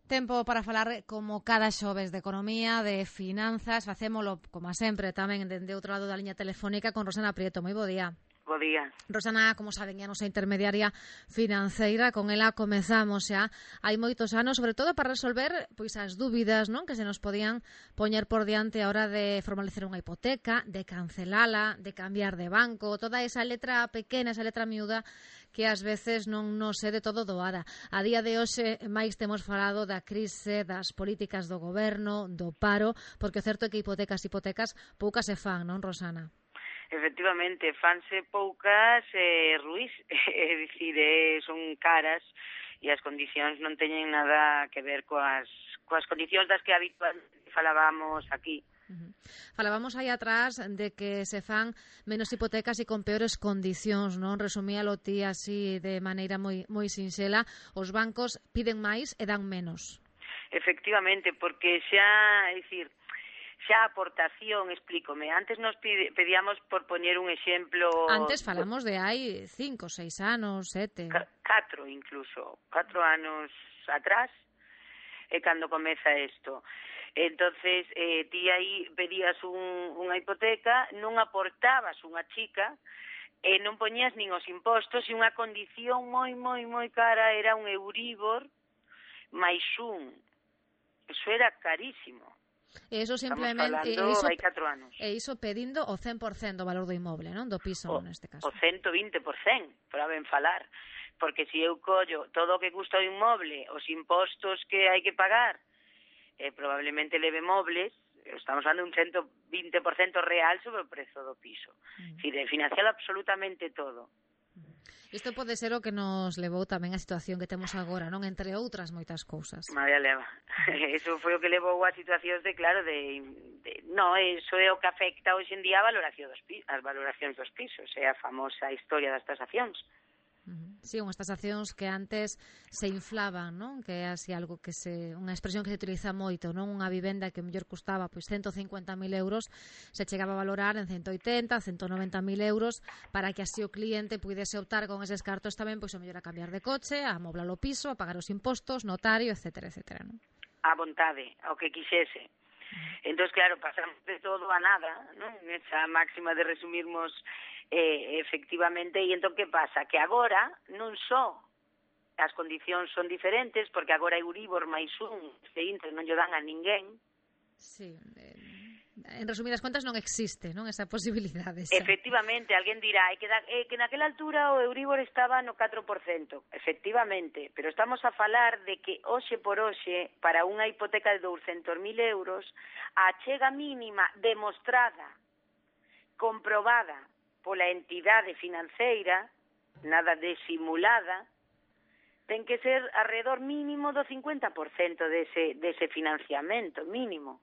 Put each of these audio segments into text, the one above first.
Tempo para falar como cada xoves de economía, de finanzas. Facémolo, como sempre, tamén dende outro lado da liña telefónica con Rosana Prieto. Moi bo día. Bo día. Rosana, como saben, é a nosa intermediaria financeira. Con ela comezamos xa hai moitos anos, sobre todo para resolver pois as dúbidas, non, que se nos podían poñer por diante a hora de formalizar unha hipoteca, de cancelala, de cambiar de banco, toda esa letra pequena, esa letra miúda que ás veces non nos é de todo doada. A día de hoxe máis temos falado da crise, das políticas do goberno, do paro, porque o certo é que hipotecas poucas se fan, non, Rosana? Efectivamente, fanse poucas ruís, é dicir, son caras e as condicións non teñen nada que ver coas condicións das que habitualmente falábamos aquí. Falábamos aí atrás de que se fan menos hipotecas e con peores condicións, non? Resumíalo ti así de maneira moi sinxela. Os bancos piden máis e dan menos. Efectivamente, porque xa, é dicir, xa a aportación, explícome, antes nos pedíamos, por poñer un exemplo... Antes falamos de hai 5, 6 anos, 7... 4 incluso, 4 anos atrás, é cando comeza isto. Entonces, ti aí pedías unha hipoteca, non aportabas unha chica, non poñías nin os impostos, e unha condición moi cara era un Euribor máis un. Eso era carísimo. E iso simplemente... Estamos falando hai 4 anos. E iso pedindo o 100% do valor do inmoble, non? Do piso, neste caso. O 120%, para ben falar. Porque se eu collo todo o que custa o inmoble, os impostos que hai que pagar, probablemente leve mobles, estamos falando de un 120% real sobre o prezo do piso. De financiar absolutamente todo. Isto pode ser o que nos levou tamén a situación que temos agora, non? Entre outras moitas cousas. María leva. Eso foi o que levou a situacións eso é o que afecta hoxe en día as valoracións dos pisos, é a famosa historia das tasacións. Sí, unhas tasacións que antes se inflaban, non? Que é así algo que unha expresión que se utiliza moito, non? Unha vivenda que mellor custaba pois 150.000 euros, se chegaba a valorar en 180, 190.000 euros, para que así o cliente puidese optar con eses cartos tamén pois o mellor a cambiar de coche, a amoblar o piso, a pagar os impostos, notario, etcétera, non? A vontade, ao que quixese. Entón, claro, pasamos de todo a nada, non? Esa máxima de resumirmos efectivamente, e entón que pasa? Que agora non só as condicións son diferentes, porque agora Euribor máis un, non lle dan a ninguén. Sí, en resumidas contas non existe, non, esa posibilidade. Efectivamente, alguén dirá que naquela altura o Euribor estaba no 4%, efectivamente, pero estamos a falar de que hoxe por hoxe, para unha hipoteca de 200.000 euros, a achega mínima demostrada, comprobada pola entidade financeira, nada de simulada, ten que ser alrededor mínimo do 50% dese financiamento, mínimo.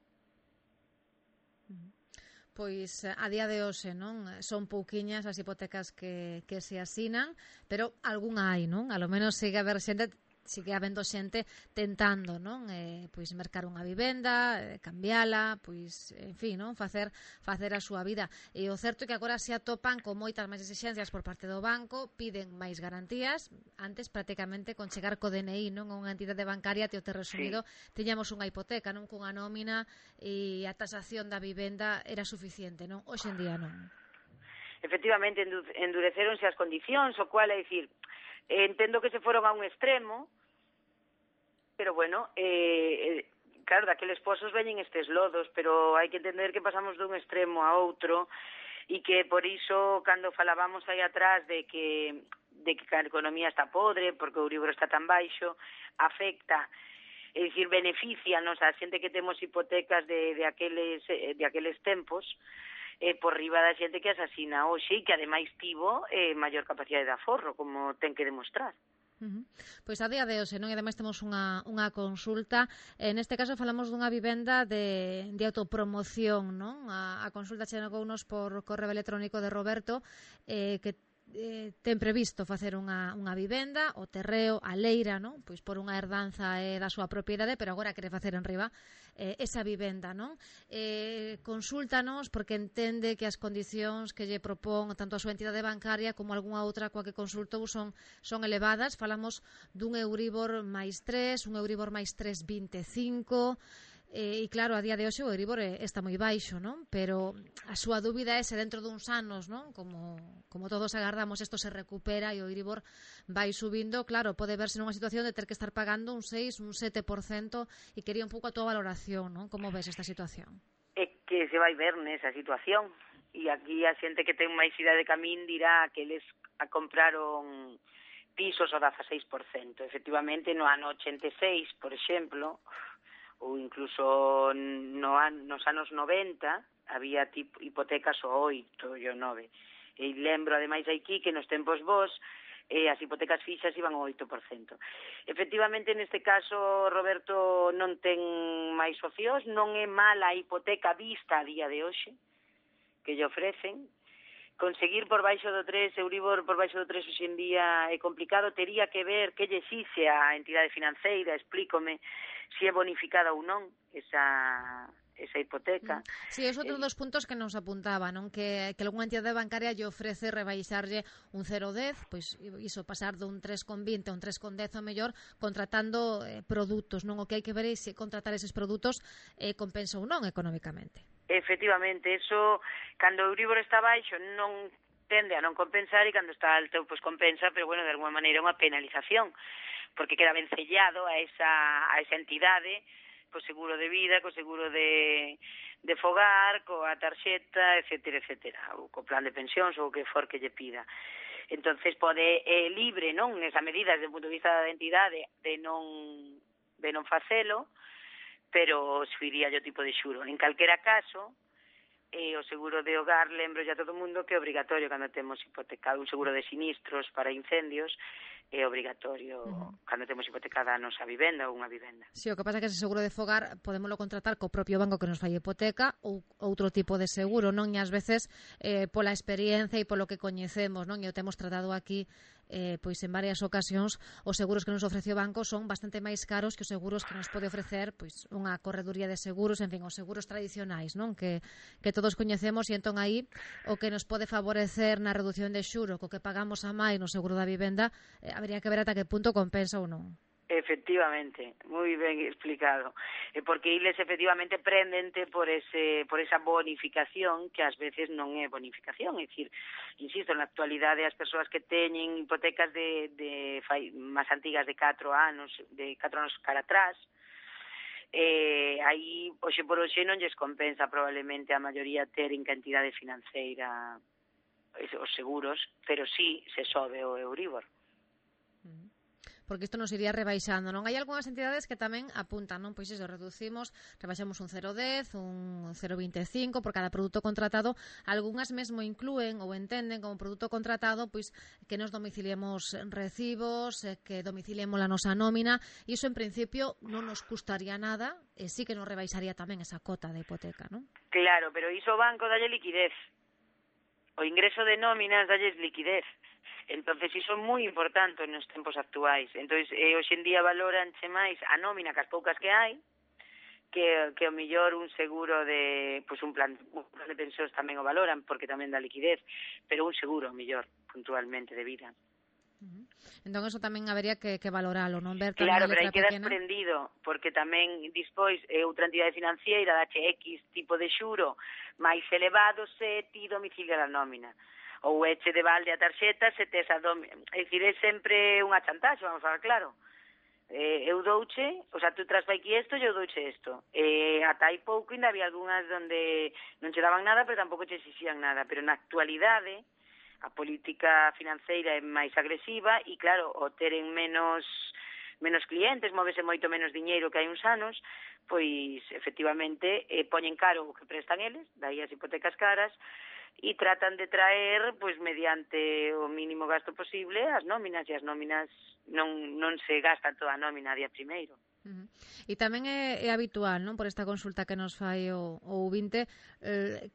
Pois a día de hoxe, non? Son pouquiñas as hipotecas que se asinan, pero algunha hai, non? A lo menos sigue habendo xente tentando, non? Pois mercar unha vivenda, cambiala, pois, en fin, non? Facer a súa vida. E o certo é que agora se atopan con moitas máis exixencias por parte do banco, piden máis garantías. Antes, prácticamente, con chegar co DNI, non? A unha entidade bancaria, te resumido, tiñamos unha hipoteca, non? Cunha nómina e a tasación da vivenda era suficiente, non? Hoxe en día non. Efectivamente, endureceronse as condicións, o cual é dicir, entendo que se foron a un extremo, pero bueno, claro, daqueles pozos veñen estes lodos, pero hai que entender que pasamos dun extremo a outro e que por iso, cando falábamos aí atrás de que a economía está podre, porque o Euribor está tan baixo, afecta, é dicir, beneficianos a xente que temos hipotecas de aqueles tempos, por riba da xente que asasina hoxe e que ademais tivo maior capacidade de aforro, como ten que demostrar. Pois a día de hoxe, non? E ademais temos unha consulta. Neste caso falamos dunha vivenda de autopromoción, non? A consulta chegounos por correo electrónico de Roberto, que ten previsto facer unha vivenda, o terreo, a leira, non? Pois por unha herdanza da súa propiedade, pero agora quere facer en riba esa vivenda, non? Consúltanos porque entende que as condicións que lle propón tanto a súa entidade bancaria como algunha outra coa que consultou son elevadas. Falamos dun Euribor máis 3, un Euribor máis 3,25, e claro, a día de hoxe o Euribor está moi baixo, non? Pero a súa dúbida é se dentro duns anos, non? Como todos agardamos, isto se recupera e o Euribor vai subindo, claro, pode verse nunha situación de ter que estar pagando un 6, un 7%, e quería un pouco a túa valoración, non? Como ves esta situación? É que se vai ver nesa situación, e aquí a xente que ten máis idade de camín dirá que eles compraron pisos ao 16%. Efectivamente, no ano 86, por exemplo, ou incluso nos anos 90 había hipotecas ao 8 e ao 9. E lembro, ademais, aquí que nos tempos vos as hipotecas fixas iban ao 8%. Efectivamente, neste caso, Roberto, non ten máis opcións, non é mala a hipoteca vista a día de hoxe que lle ofrecen. Conseguir por baixo do 3, Euribor por baixo do 3 hoxe en día é complicado. Tería que ver que lle exixe a entidade financeira, explícome, se é bonificada ou non esa hipoteca. Sí, é outro dos puntos que nos apuntaba, non? Que algunha entidade bancaria lle ofrece rebaixarlle un 0,10, pois iso, pasar dun 3,20 a un 3,10 ou mellor, contratando produtos, non? O que hai que ver é se contratar eses produtos compensa ou non económicamente. Efectivamente, eso, cando o Euribor está baixo, non tende a non compensar, e cando está alto, pois compensa, pero, bueno, de alguma maneira unha penalización, porque queda vencellado a esa entidade, co seguro de vida, co seguro de fogar, coa tarxeta, etcétera, etcétera, ou co plan de pensións, ou o que for que lle pida. Entonces pode libre, non, nesa medida, desde o punto de vista da entidade, de non facelo, pero subiría o tipo de xuro. En calquera caso, o seguro de hogar, lembro ya a todo o mundo que é obrigatorio cando temos hipotecado un seguro de sinistros para incendios, é obrigatorio cando temos hipotecada a nosa vivenda ou unha vivenda. Si, o que pasa é que ese seguro de fogar podémoslo contratar co propio banco que nos fai hipoteca ou outro tipo de seguro, non? E ás veces pola experiencia e polo que coñecemos, non? E o temos tratado aquí pois en varias ocasións, os seguros que nos ofrece o banco son bastante máis caros que os seguros que nos pode ofrecer pois unha correduría de seguros, en fin, os seguros tradicionais, non? Que todos coñecemos, e entón aí o que nos pode favorecer na reducción de xuro co que pagamos a máis no seguro da vivenda, habría que ver ata que punto compensa ou non. Efectivamente, moi ben explicado, porque eles efectivamente prendente por esa bonificación que ás veces non é bonificación, é dicir, insisto, na actualidade as persoas que teñen hipotecas máis antigas de 4 anos cara atrás, aí hoxe por hoxe non lles compensa probablemente a maioría ter en cantidade financeira os seguros, pero sí se sobe o Euribor. Porque isto nos iría rebaixando, non? Hai algunhas entidades que tamén apuntan, non? Pois iso, rebaixamos un 0,10, un 0,25 por cada produto contratado. Algunhas mesmo inclúen ou entenden como produto contratado pois que nos domiciliemos recibos, que domiciliemos a nosa nómina, e iso en principio non nos custaría nada, e sí que nos rebaixaría tamén esa cota de hipoteca, non? Claro, pero iso o banco dalle liquidez. O ingreso de nóminas dalles liquidez. Entonces, iso é moi importante nos tempos actuais. Entonces, hoxe en día valoranche máis a nómina que as poucas que hai, que o mellor un seguro de, pois un plan de pensións tamén o valoran, porque tamén dá liquidez, pero un seguro, o mellor, puntualmente, de vida. Entón, eso tamén habería que valoralo, non? Ver claro, pero aí aí quedas prendido, porque tamén despois outra entidade financiera dache X tipo de xuro máis elevado se ti domicilia a nómina. Ou eche de balde a tarxeta se tes a é dicir, é sempre unha chantaxe, vamos a ver, claro. Eu douche, o sea, tú traspai aquí isto e eu douche isto. Ata hai pouco ainda había algunhas onde non che daban nada, pero tampouco che exixían nada. Pero na actualidade, a política financeira é máis agresiva e, claro, o teren menos clientes, móvese moito menos diñeiro que hai uns anos, pois, efectivamente, poñen caro o que prestan eles, dai as hipotecas caras, e tratan de traer, pois, mediante o mínimo gasto posible, as nóminas, e as nóminas non se gastan toda a nómina a día primeiro. E tamén é habitual, non, por esta consulta que nos fai o ouvinte,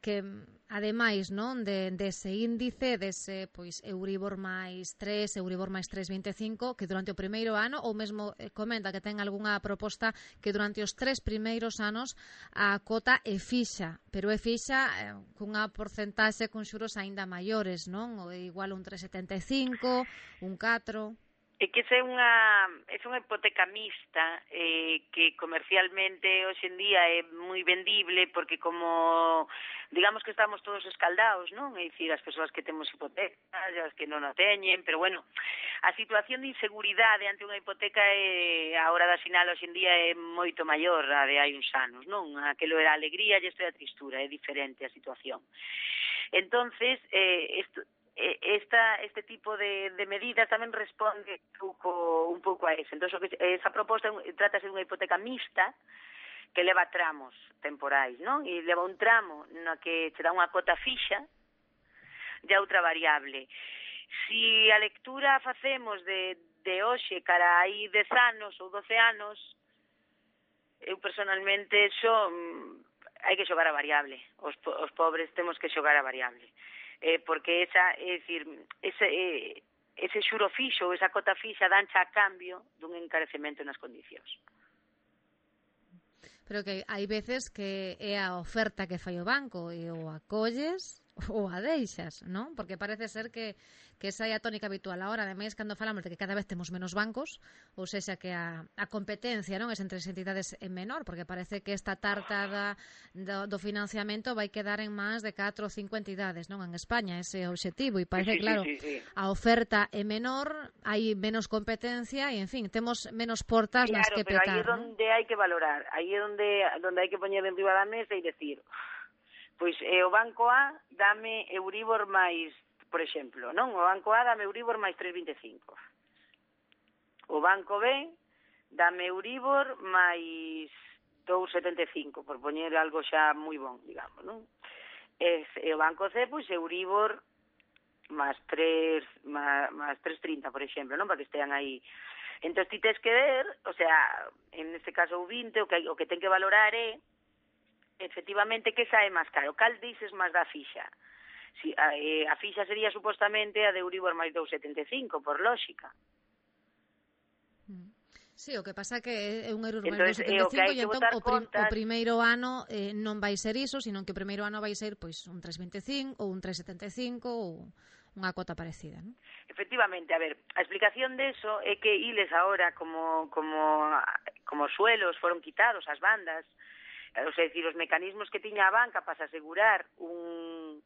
que ademais, non, dese índice, dese pois Euribor máis 3, Euribor máis 3,25, que durante o primeiro ano, ou mesmo comenta que ten algunha proposta que durante os 3 primeiros anos a cota é fixa, pero é fixa cunha porcentaxe con xuros aínda maiores, non? Ou igual un 3,75, un 4... É que é unha hipoteca mixta que comercialmente hoxe en día é moi vendible porque como digamos que estamos todos escaldados, non? É dicir, as persoas que temos hipotecas, as que non a teñen, pero bueno, a situación de inseguridade ante unha hipoteca a hora de asinar hoxe en día é moito maior a de hai uns anos, non? Aquelo era a alegría e isto é a tristura, é diferente a situación. Entonces, este tipo de medidas tamén responde un pouco a eso. Entón, esa proposta trátase de unha hipoteca mixta que leva tramos temporais, non? E leva un tramo na que se dá unha cota fixa e outra variable. Si a lectura facemos de hoxe cara aí 10 anos ou 12 anos, eu personalmente hai que xogar a variable. Os pobres temos que xogar a variable. Porque ese xuro fixo, esa cota fixa dancha a cambio dun encarecemento nas condicións. Pero que hai veces que é a oferta que fai o banco e o acolles ou a deixas, non? Porque parece ser que esa é a tónica habitual. Ahora, ademais, cando falamos de que cada vez temos menos bancos, ou seja, que a competencia, non, es entre as entidades é menor, porque parece que esta tarta do financiamento vai quedar en máis de 4 ou 5 entidades, non? En España, ese é o obxectivo, e parece, claro, a oferta é menor, hai menos competencia, e, en fin, temos menos portas nas que petar, non? Claro, pero aí é onde hai que valorar, aí é onde hai que poñer en riba da mesa e decir... Pois o Banco A dame Euribor máis, por exemplo, non? O Banco A dame Euribor máis 3,25. O Banco B dame Euribor máis 2,75, por poñer algo xa moi bon, digamos, non? E o Banco C, pois Euribor máis 3,30, por exemplo, non? Para que estean aí. Entón, ti tes que ver, o sea, en este caso o 20, o que ten que valorar é efectivamente que sae máis caro. Cal dices máis da fixa? Si, a fixa sería supostamente a de Euribor máis 2,75, por lógica. Sí, o que pasa que é un Euribor máis 2,75 e entón o primeiro ano non vai ser iso, sino que o primeiro ano vai ser pois un 3,25 ou un 3,75 ou unha cota parecida, non? Efectivamente, a ver, a explicación de eso é que iles agora como suelos foron quitados as bandas, ou sea, decir, os mecanismos que tiña a banca para asegurar unha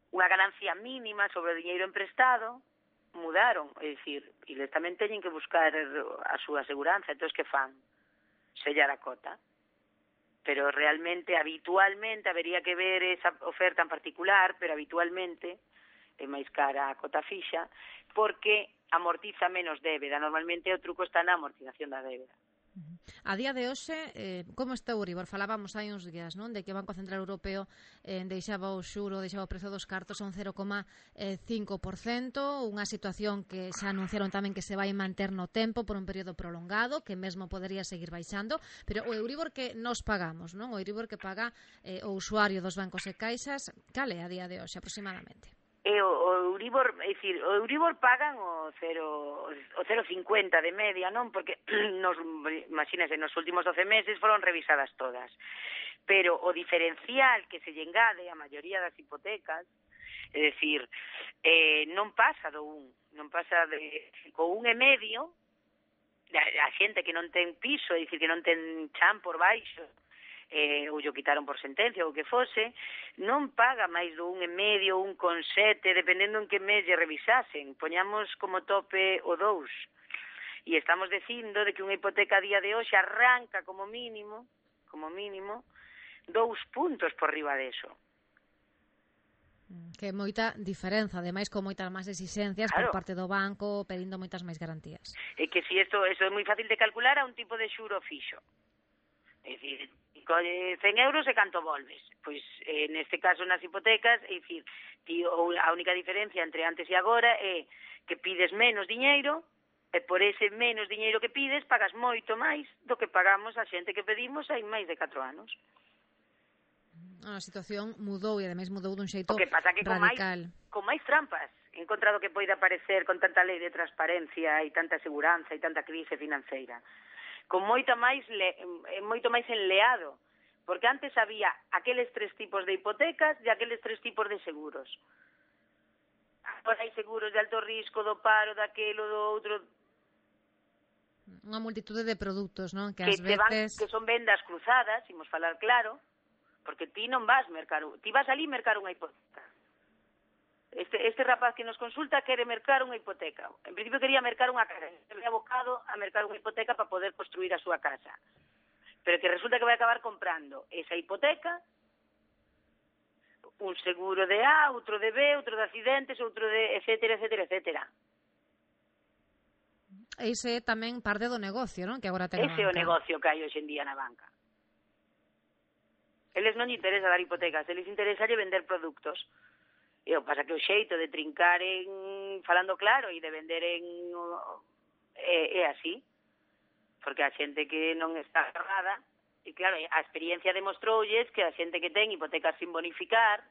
ganancia mínima sobre o diñeiro emprestado mudaron, é dicir, eles tamén teñen que buscar a súa aseguranza, entón que fan? Sellar a cota. Pero realmente, habitualmente, habería que ver esa oferta en particular, pero habitualmente é máis cara a cota fixa, porque amortiza menos débeda. Normalmente o truco está na amortización da débeda. A día de hoxe, como está o Euribor? Falábamos hai uns días, non? De que o Banco Central Europeo deixaba o xuro, deixaba o prezo dos cartos a un 0,5%, unha situación que xa anunciaron tamén que se vai manter no tempo por un período prolongado, que mesmo podería seguir baixando, pero o Euribor que nos pagamos, non? O Euribor que paga o usuario dos bancos e caixas, cal é a día de hoxe aproximadamente? O Euribor, é dicir, o Euribor pagan o 0,50 de media, non? Porque imagínense, nos últimos 12 meses foron revisadas todas. Pero o diferencial que se lle engade a maioría das hipotecas, é dicir, non pasa do 1, non pasa co 1,5, a xente que non ten piso, é dicir, que non ten chan por baixo, ou yo quitaron por sentencia ou que fose, non paga máis do 1,5, 1,7, dependendo en que mes lle revisasen. Poñamos como tope o 2. E estamos dicindo de que unha hipoteca a día de hoxe arranca como mínimo, 2 puntos por riba deso. Que é moita diferenza, ademais con moitas máis exixencias por parte do banco, pedindo moitas máis garantías. É que si eso é moi fácil de calcular a un tipo de xuro fixo. É dicir, 100 euros e canto volves? Pois, neste caso, nas hipotecas, é dicir, a única diferencia entre antes e agora é que pides menos diñeiro E por ese menos diñeiro que pides, pagas moito máis do que pagamos a xente que pedimos hai máis de 4 anos. A situación mudou e ademais mudou dun xeito O que pasa que radical. Con máis trampas, en contra do que poida parecer con tanta lei de transparencia e tanta seguranza e tanta crise financeira. Con moito máis enleado, porque antes había aqueles 3 tipos de hipotecas e aqueles 3 tipos de seguros. Agora hai seguros de alto risco, do paro, daquelo, do outro. Unha multitude de produtos, non? Que ás veces... que son vendas cruzadas, imos falar claro, porque ti non vas mercar, ti vas ali mercar unha hipoteca. Este rapaz que nos consulta quere mercar unha hipoteca. En principio quería mercar unha casa, se ve abocado a mercar unha hipoteca para poder construir a súa casa. Pero que resulta que vai acabar comprando esa hipoteca, un seguro de A, outro de B, outro de accidentes, outro de etcétera, etcétera, etcétera. Ese é tamén parte do negocio, non? Que agora ten a banca. Ese é o negocio que hai hoxe en día na banca. Eles non lle interesa dar hipotecas, eles interesa vender produtos. E o pasa que o xeito de trincar falando claro e de vender é así. Porque a xente que non está agarrada, e claro, a experiencia demostroulles que a xente que ten hipotecas sin bonificar,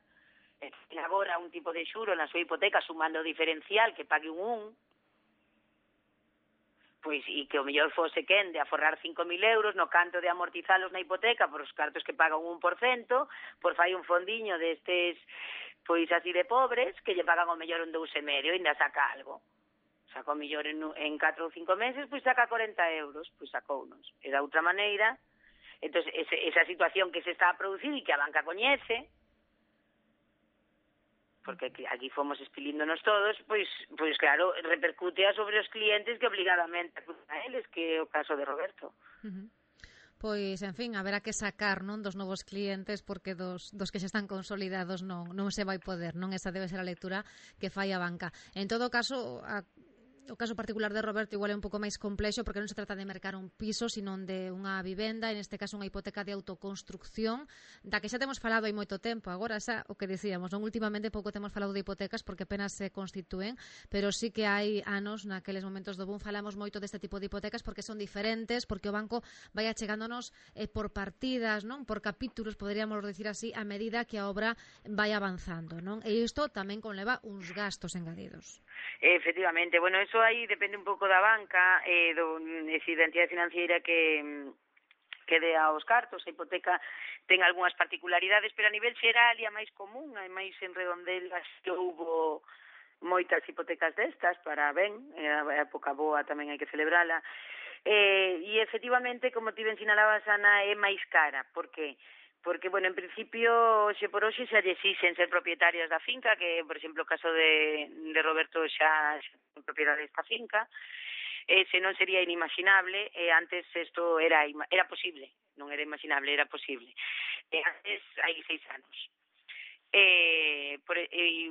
ten agora un tipo de xuro na súa hipoteca sumando o diferencial que pague un, pois, e que o mellor fose quen de aforrar 5.000 euros no canto de amortizalos na hipoteca por os cartos que pagan un 1%, por fai un fondiño destes, pois así de pobres, que lle pagan o mellor un 2,5 e ainda saca algo. Saca o mellor en 4 ou 5 meses, pois saca 40 euros, pois sacounos. E da outra maneira, entón, esa situación que se está a producir e que a banca coñece, porque aquí fomos espilíndonos todos, pois claro, repercute sobre os clientes que obligadamente acuden a eles, que é o caso de Roberto. Pois, en fin, haberá que sacar, non, dos novos clientes, porque dos que xa están consolidados non se vai poder, non? Esa debe ser a lectura que fai a banca. En todo caso, o caso particular de Roberto igual é un pouco máis complexo porque non se trata de mercar un piso, sino de unha vivenda, en este caso unha hipoteca de autoconstrucción, da que xa temos falado hai moito tempo. Agora xa o que dicíamos, non, últimamente pouco temos falado de hipotecas porque apenas se constitúen, pero sí que hai anos, naqueles momentos do boom, falamos moito deste tipo de hipotecas porque son diferentes, porque o banco vai achegándonos por partidas, non, por capítulos, poderíamos decir así, a medida que a obra vai avanzando, non? E isto tamén conleva uns gastos engadidos. Efectivamente, bueno, eso aí depende un pouco da banca, da entidade financiera que dé aos cartos. A hipoteca ten algunhas particularidades, pero a nivel xeral e a máis común, a máis en Redondelas, que houbo moitas hipotecas destas para ben, a época boa tamén hai que celebrala, e efectivamente, como ti ben sinalabas, Ana, é máis cara, porque, bueno, en principio, xe por hoxe xa lle exixen ser propietarios da finca, que, por exemplo, o caso de Roberto xa é propiedade desta finca, se non sería inimaginable, antes isto era posible, non era imaginable, era posible. Antes, hai 6 anos.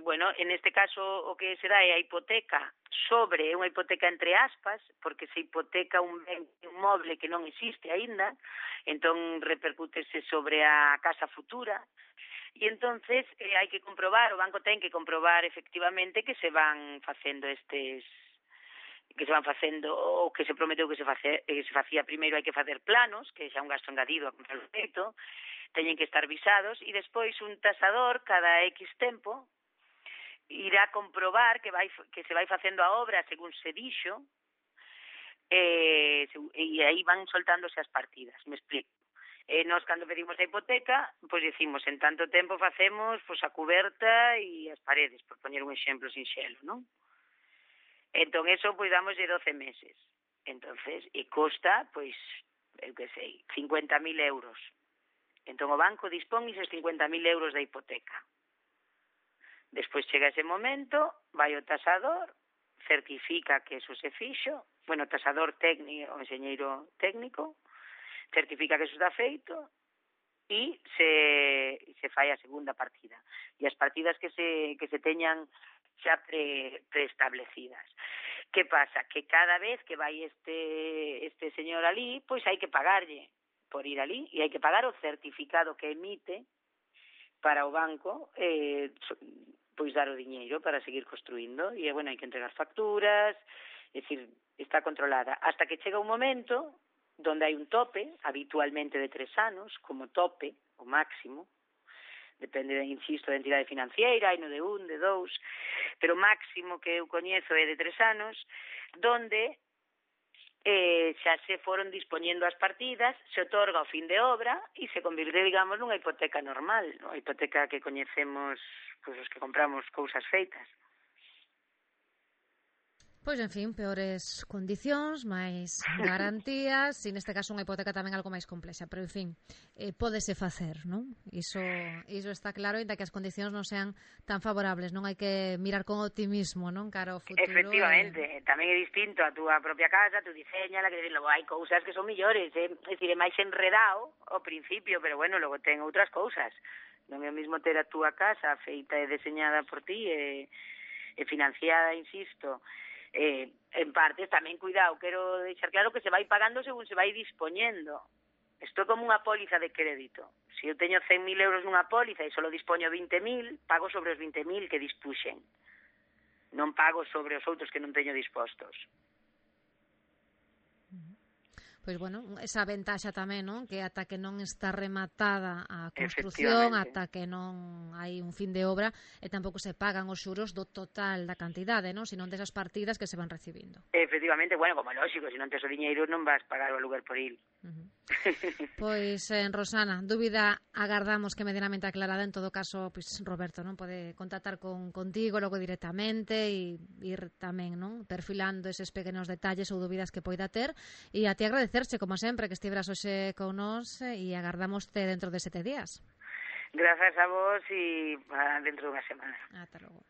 Bueno, en este caso o que se dá é a hipoteca sobre unha hipoteca entre aspas, porque se hipoteca un ben inmoble que non existe aínda, entón repercútese sobre a casa futura, e entonces hai que comprobar, o banco ten que comprobar efectivamente que se van facendo o que se prometeu que se facía. Primeiro hai que facer planos, que xa un gasto engadido a comprar o teito, teñen que estar visados, e despois un tasador cada X tempo irá comprobar que se vai facendo a obra según se dixo, e aí van soltándose as partidas, me explico. Nós, cando pedimos a hipoteca, pois decimos, en tanto tempo facemos a cuberta e as paredes, por poñer un exemplo sinxelo, non? Entón, eso, pois, damos de 12 meses. Entonces, e costa, pois, eu que sei, 50.000 euros. Entón, o banco dispón esos 50.000 euros da hipoteca. Despois chega ese momento, vai o tasador, certifica que eso se fixo, bueno, o tasador técnico, o enxeñeiro técnico, certifica que eso está feito e se fai a segunda partida. E as partidas que se teñan xa preestablecidas. Que pasa? Que cada vez que vai este señor ali, pois hai que pagarlle por ir ali, e hai que pagar o certificado que emite para o banco pois dar o diñeiro para seguir construindo, e bueno, hai que entregar facturas, é dicir, está controlada, hasta que chega un momento donde hai un tope, habitualmente de 3 anos, como tope, o máximo, depende, insisto, da entidade financiera, hai no de 1, de 2, pero o máximo que eu coñezo é de 3 anos, donde xa se foron dispoñendo as partidas, se otorga o fin de obra e se convirte, digamos, nunha hipoteca normal, a hipoteca que coñecemos, pois, os que compramos cousas feitas. Pois, en fin, peores condicións, máis garantías, e neste caso unha hipoteca tamén algo máis complexa, pero, en fin, pódese facer, non? Iso está claro, ainda que as condicións non sean tan favorables, non hai que mirar con optimismo, non, cara ao futuro. Efectivamente, tamén é distinto a túa propia casa, tú diseñala, que logo hai cousas que son millores, é dicir, é máis enredado ao principio, pero bueno, logo ten outras cousas. Non é o mesmo ter a túa casa feita e deseñada por ti e financiada, insisto, en partes, tamén, cuidado, quero deixar claro que se vai pagando según se vai dispoñendo. Isto é como unha póliza de crédito. Se eu teño 100.000 euros nunha póliza e só dispoño 20.000, pago sobre os 20.000 que dispuxen. Non pago sobre os outros que non teño dispostos. Pois, bueno, esa ventaxa tamén, non? Que ata que non está rematada a construción, ata que non hai un fin de obra, e tampouco se pagan os xuros do total da cantidade, non? Senón desas partidas que se van recibindo. Efectivamente, bueno, como lógico, se non tes o diñeiro non vas pagar o aluguer por il. Pois, Rosana, dúbida agardamos que medianamente aclarada. En todo caso, pois, Roberto, non pode contactar contigo logo directamente e ir tamén, non, perfilando eses pequenos detalles ou dúbidas que poida ter, e a ti agradecerche, como sempre, que estiveras hoxe con nós, e agardamoste dentro de 7 días. Grazas a vos e dentro dunha semana. Ata logo.